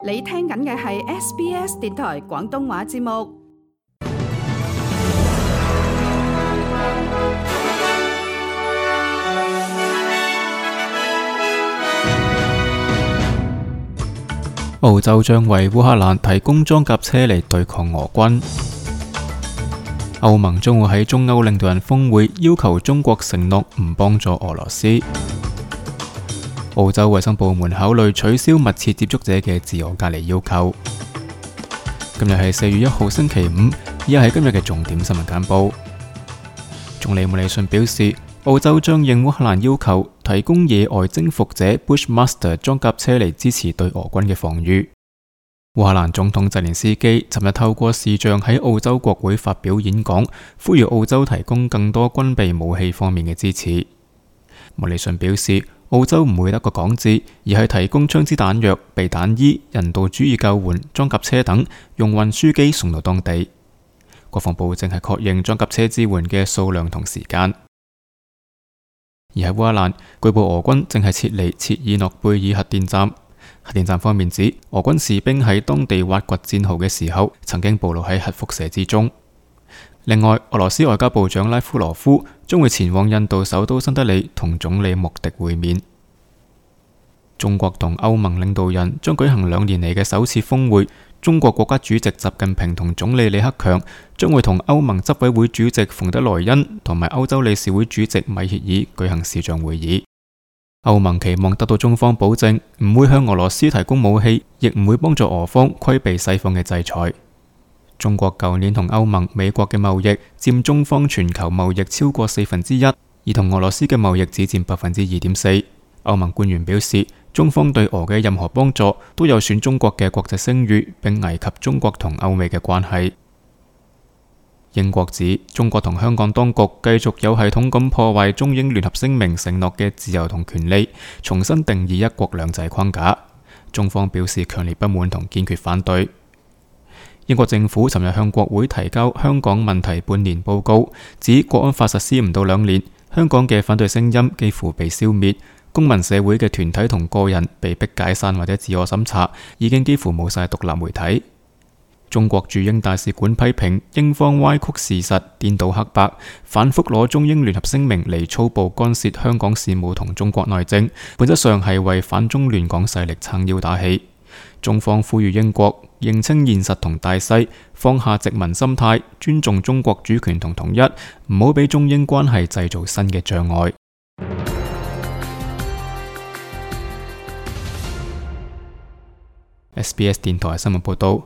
你聽緊嘅係 SBS 電台廣東話節目。澳洲將為烏克蘭提供裝甲車嚟對抗俄軍。歐盟將會喺中歐領導人峰會要求中國承諾唔幫助俄羅斯。澳洲衛生部門考慮取消密切接觸者嘅自我隔離要求。今日係4月1號星期五，以下係今日嘅重點新聞簡報。總理莫里遜表示，澳洲將應烏克蘭要求提供野外征服者 Bushmaster 裝甲車嚟支持對俄軍嘅防禦。烏克蘭總統澤連斯基尋日透過視像喺澳洲國會發表演講，呼籲澳洲提供更多軍備武器方面嘅支持。莫里遜表示，澳洲唔會得個講字，而係提供槍支彈藥、避彈衣、人道主義救援、裝甲車等，用運輸機送到當地。國防部正係確認裝甲車支援嘅數量同時間。而喺烏克蘭，據報俄軍正係撤離切爾諾貝爾核電站。核電站方面指，俄軍士兵喺當地挖掘戰壕嘅時候，曾經暴露喺核輻射之中。另外，俄羅斯外交部長拉夫羅夫將會前往印度首都新德里同總理莫迪會面。中國同歐盟領導人將舉行2年嚟嘅首次峰會。中國國家主席習近平同總理李克強將會同歐盟執委會主席馮德萊恩同埋歐洲理事會主席米歇爾舉行視像會議。歐盟期望得到中方保證，唔會向俄羅斯提供武器，亦唔會幫助俄方規避西方嘅制裁。中國舊年同歐盟、美國嘅貿易佔中方全球貿易超過1/4，而同俄羅斯嘅貿易只佔2.4%。歐盟官員表示，中方對俄嘅任何幫助都有損中國嘅國際聲譽，並危及中國同歐美嘅關係。英國指中國同香港當局繼續有系統咁破壞中英聯合聲明承諾嘅自由同權利，重新定義一國兩制框架。中方表示強烈不滿同堅決反對。英國政府尋日向國會提交香港問題半年報告，指國安法實施唔到2年，香港嘅反對聲音幾乎被消滅，公民社會嘅團體同個人被迫解散或者自我審查，已經幾乎冇晒獨立媒體。中國駐英大使館批評英方歪曲事實、顛倒黑白，反覆攞中英聯合聲明嚟粗暴干涉香港事務同中國內政，本質上係為反中亂港勢力撐腰打氣。中方呼籲英國認清現實同大勢，放下殖民心態，尊重中國主權同統一，唔好俾中英關係製造新嘅障礙。SBS 電台新聞報道，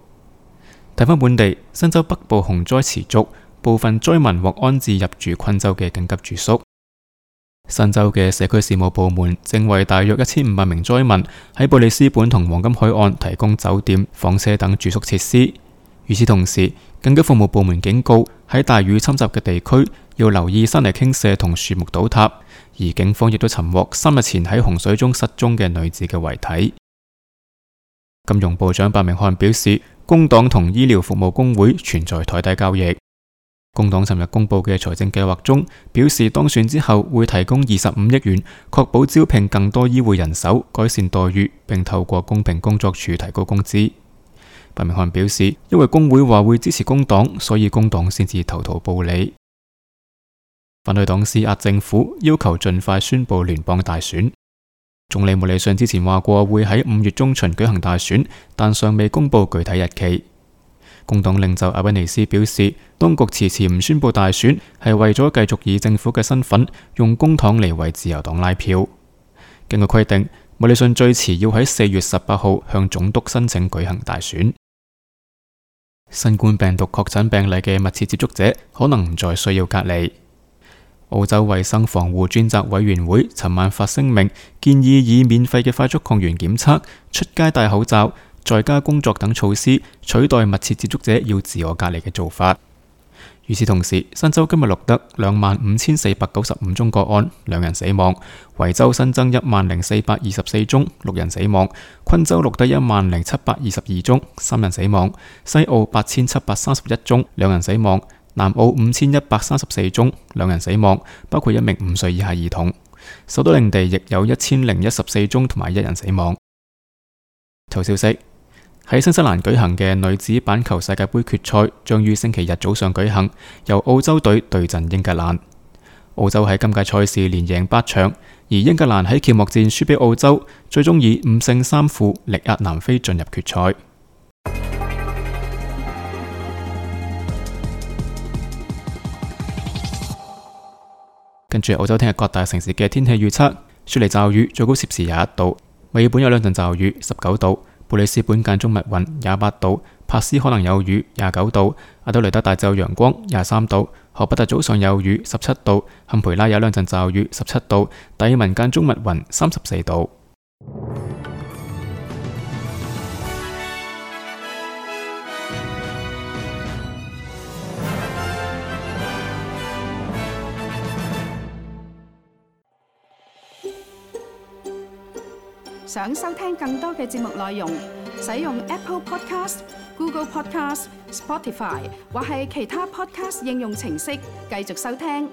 睇返本地，新州北部洪災持續，部分災民獲安置入住昆州嘅緊急住宿。新州嘅社區事務部門正為大約1500名災民喺布里斯本同黃金海岸提供酒店、房車等住宿設施。與此同時，緊急服務部門警告喺大雨侵襲嘅地區要留意山泥傾瀉同樹木倒塌，而警方亦都尋獲3日前喺洪水中失蹤嘅女子嘅遺體。金融部長白明漢表示，工黨同醫療服務工會存在台底交易。工黨尋日公布嘅財政計劃中表示，當選之後會提供25億元，確保招聘更多醫護人手，改善待遇，並透過公平工作處提高工資。白明漢表示，因為工會話會支持工黨，所以工黨先至投桃報李。反對黨施壓政府，要求盡快宣布聯邦大選。總理莫里遜之前話過會喺5月中旬舉行大選，但尚未公布具體日期。工黨領袖阿賓尼斯表示，當局遲遲唔宣布大選，係為咗繼續以政府嘅身份用公帑嚟為自由黨拉票。根據規定，莫里遜最遲要喺4月18號向總督申請舉行大選。新冠病毒確診病例嘅密切接觸者可能唔再需要隔離。澳洲衛生防護專責委員會尋晚發聲明，建議以免費嘅快速抗原檢測、出街戴口罩、在家工作等措施取代密切接觸者要自我隔離嘅做法。與此同時，新州今日錄得25,495宗個案，2人死亡；維州新增10,424宗，6人死亡；昆州錄得10,722宗，3人死亡；西澳8,731宗，2人死亡；南澳5,134宗，2人死亡，包括1名5歲以下兒童。首都領地亦有1014宗同埋1人死亡。頭消息：喺新西蘭舉行嘅女子板球世界盃決賽將於星期日早上舉行，由澳洲隊對陣英格蘭。澳洲喺今屆賽事連贏8場，而英格蘭喺揭幕戰輸俾澳洲，最終以5勝3負力壓南非進入決賽。跟住澳洲聽日各大城市嘅天氣預測：雪梨驟雨，最高攝氏21度；墨爾本有2陣驟雨，19度；布里斯本間中密雲，28度；珀斯可能有雨，29度；阿德雷德大致有陽光，23度；荷伯特早上有雨，17度；坎培拉有2陣驟雨，17度；達爾文間中密雲，34度。想收聽更多嘅節目內容，使用 Apple Podcast、Google Podcast、Spotify 或係其他 Podcast 應用程式繼續收聽。